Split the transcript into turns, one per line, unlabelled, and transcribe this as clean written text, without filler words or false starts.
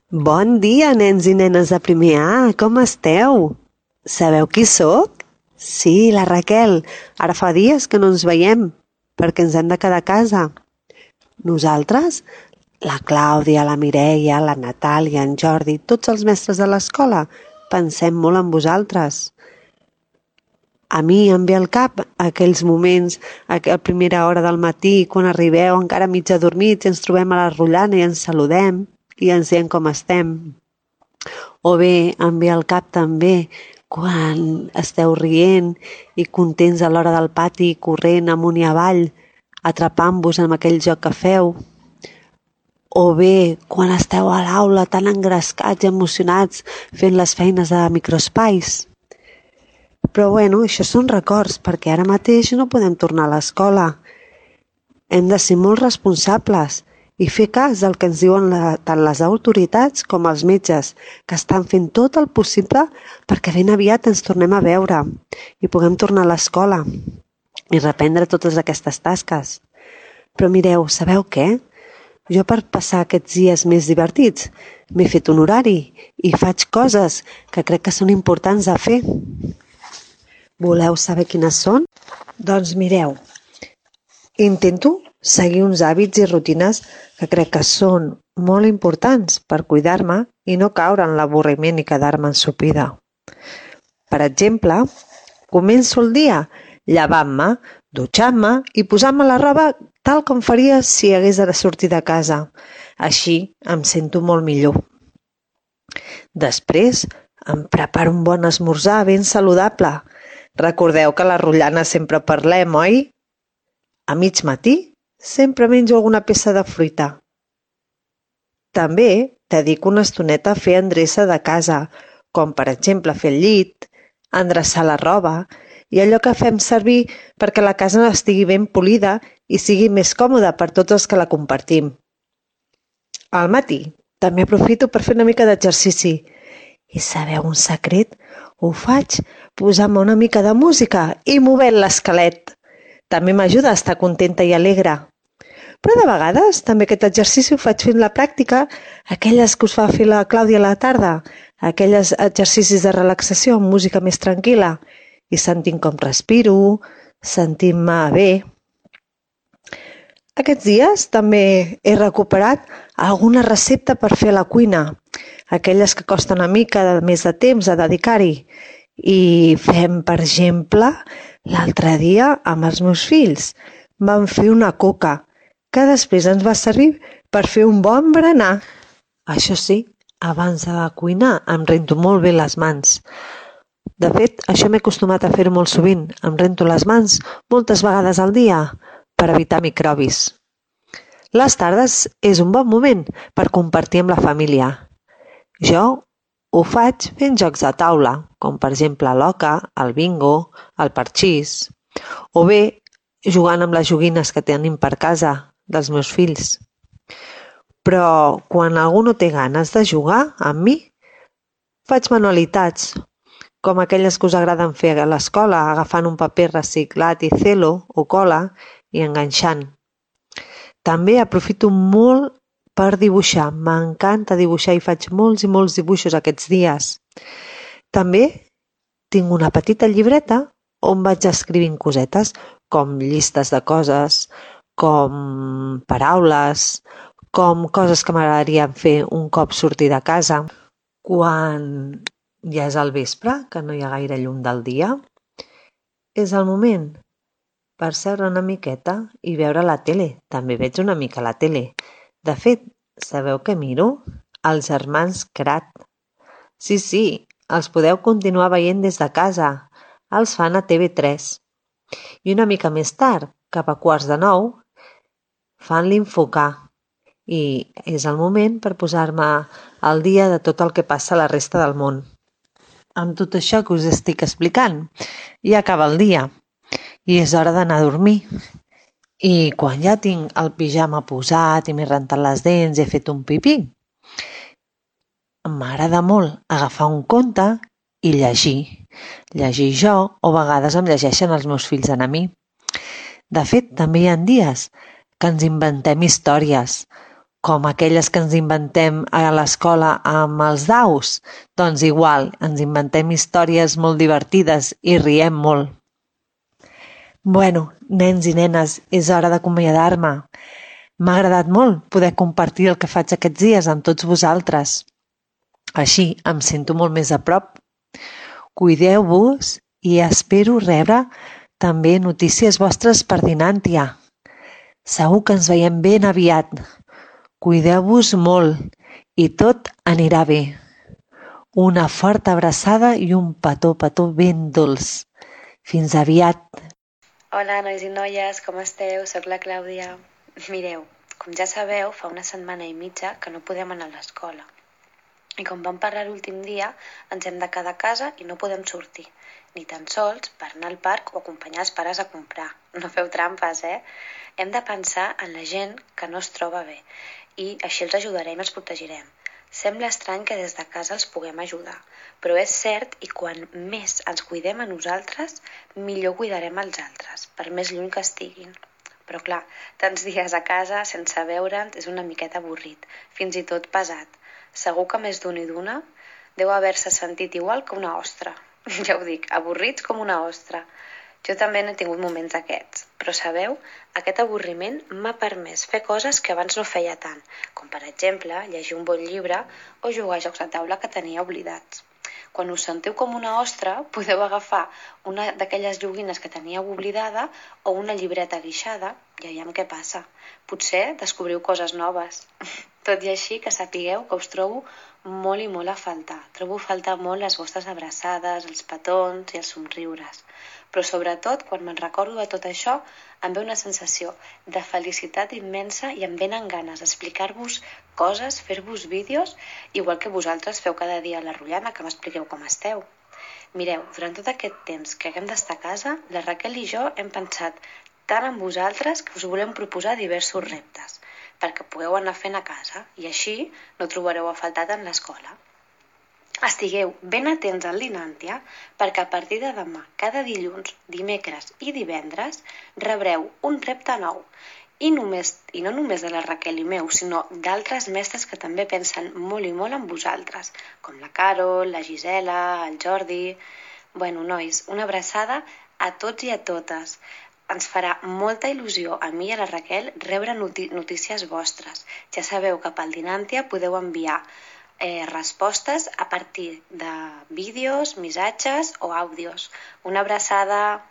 Bon dia, nens i nenes de primer A, com esteu? Sabeu qui sóc? Sí, la Raquel. Ara fa dies que no ens veiem, perquè ens hem de quedar a casa. Nosaltres, la Clàudia, la Mireia, la Natàlia, en Jordi, tots els mestres de l'escola, pensem molt en vosaltres. A mi em ve al cap aquells moments, a primera hora del matí, quan arribeu encara mig adormits i ens trobem a la rotllana i ens saludem i ens diem com estem. O bé em ve al cap també quan esteu rient i contents a l'hora del pati, corrent amunt i avall, atrapant-vos amb aquell joc que feu. O bé quan esteu a l'aula tan engrescats i emocionats fent les feines de microespais. Però bueno, això són records, perquè ara mateix no podem tornar a l'escola. Hem de ser molt responsables i fer cas del que ens diuen tant les autoritats com els metges, que estan fent tot el possible perquè ben aviat ens tornem a veure i puguem tornar a l'escola i reprendre totes aquestes tasques. Però mireu, sabeu què? Jo per passar aquests dies més divertits m'he fet un horari i faig coses que crec que són importants de fer. Voleu saber quines són? Doncs mireu, intento seguir uns hàbits i rutines que crec que són molt importants per cuidar-me i no caure en l'avorriment i quedar-me ensopida. Per exemple, començo el dia llavant-me, dutxant-me i posant-me la roba tal com faria si hagués de sortir de casa. Així em sento molt millor. Després em preparo un bon esmorzar ben saludable. Recordeu que a la rotllana sempre parlem, oi? A mig matí sempre menjo alguna peça de fruita. També dedico una estoneta a fer endreça de casa, com per exemple fer el llit, endreçar la roba i allò que fem servir perquè la casa estigui ben polida i sigui més còmoda per tots els que la compartim. Al matí també aprofito per fer una mica d'exercici. I sabeu un secret? Ho faig posant-me una mica de música i movent l'esquelet. També m'ajuda a estar contenta i alegre. Però de vegades també aquest exercici ho faig fent la pràctica, aquelles que us fa fer la Clàudia a la tarda, aquells exercicis de relaxació amb música més tranquil·la i sentint com respiro, sentint-me bé. Aquests dies també he recuperat alguna recepta per fer a la cuina, aquelles que costen una mica més de temps a dedicar-hi. I fem, per exemple, l'altre dia amb els meus fills vam fer una coca, que després ens va servir per fer un bon berenar. Això sí, abans de cuinar em rento molt bé les mans. De fet, això m'he acostumat a fer-ho molt sovint. Em rento les mans moltes vegades al dia per evitar microbis. Les tardes és un bon moment per compartir amb la família. Jo ho faig fent jocs de taula, com per exemple l'oca, el bingo, el parxís, o bé jugant amb les joguines que tenim per casa dels meus fills. Però quan algú no té ganes de jugar amb mi, faig manualitats, com aquelles que us agraden fer a l'escola, agafant un paper reciclat i celo o cola i enganxant. També aprofito molt per dibuixar. M'encanta dibuixar i faig molts i molts dibuixos aquests dies. També tinc una petita llibreta on vaig escrivint cosetes, com llistes de coses, com paraules, com coses que m'agradarien fer un cop sortir de casa. Quan ja és al vespre, que no hi ha gaire llum del dia, és el moment per seure una miqueta i veure la tele. També veig una mica la tele. De fet, sabeu què miro? Els germans Krat. Sí, els podeu continuar veient des de casa. Els fan a TV3. I una mica més tard, cap a 8:45, fan l'Infocà. I és el moment per posar-me al dia de tot el que passa a la resta del món. Amb tot això que us estic explicant, ja acaba el dia i és hora d'anar a dormir. I quan ja tinc el pijama posat i m'he rentat les dents i he fet un pipí, m'agrada molt agafar un conte i llegir. Llegir jo o a vegades em llegeixen els meus fills a mi. De fet, també hi ha dies que ens inventem històries com aquelles que ens inventem a l'escola amb els daus. Doncs igual, ens inventem històries molt divertides i riem molt. Bueno, nens i nenes, és hora d'acomiadar-me. M'ha agradat molt poder compartir el que faig aquests dies amb tots vosaltres. Així em sento molt més a prop. Cuideu-vos i espero rebre també notícies vostres per Dinàntia. Segur que ens veiem ben aviat. Cuideu-vos molt i tot anirà bé. Una forta abraçada i un petó ben dolç. Fins aviat.
Hola, nois i noies, com esteu? Soc la Clàudia. Mireu, com ja sabeu, fa una setmana i mitja que no podem anar a l'escola. I com vam parlar l'últim dia, ens hem de quedar a casa i no podem sortir, ni tan sols per anar al parc o acompanyar els pares a comprar. No feu trampes, Hem de pensar en la gent que no es troba bé i així els ajudarem i els protegirem. Sembla estrany que des de casa els puguem ajudar, però és cert i quan més ens cuidem a nosaltres, millor cuidarem els altres, per més lluny que estiguin. Però clar, tants dies a casa sense veure'ns és una miqueta avorrit, fins i tot pesat. Segur que més d'un i d'una deu haver-se sentit igual que una ostra. Ja ho dic, avorrits com una ostra. Jo també n'he tingut moments d'aquests, però sabeu, aquest avorriment m'ha permès fer coses que abans no feia tant, com per exemple llegir un bon llibre o jugar a jocs de taula que tenia oblidats. Quan us sentiu com una ostra, podeu agafar una d'aquelles joguines que teníeu oblidada o una llibreta guixada i aviam què passa. Potser descobriu coses noves. Tot i així que sapigueu que us trobo molt i molt a faltar. Trobo a faltar molt les vostres abraçades, els petons i els somriures. Però sobretot, quan me'n recordo de tot això, em ve una sensació de felicitat immensa i em venen ganes d'explicar-vos coses, fer-vos vídeos, igual que vosaltres feu cada dia a la Rotllana, que m'expliqueu com esteu. Mireu, durant tot aquest temps que haguem d'estar a casa, la Raquel i jo hem pensat tant en vosaltres que us volem proposar diversos reptes, perquè pugueu anar fent a casa i així no trobareu a faltar tant l'escola. Estigueu ben atents al Dinàntia perquè a partir de demà, cada dilluns, dimecres i divendres, rebreu un repte nou. I no només de la Raquel i meu, sinó d'altres mestres que també pensen molt i molt en vosaltres, com la Carol, la Gisela, el Jordi... Bueno, nois, una abraçada a tots i a totes. Ens farà molta il·lusió a mi i a la Raquel rebre notícies vostres. Ja sabeu que pel Dinàntia podeu enviar respostes a partir de vídeos, missatges o àudios. Una abraçada!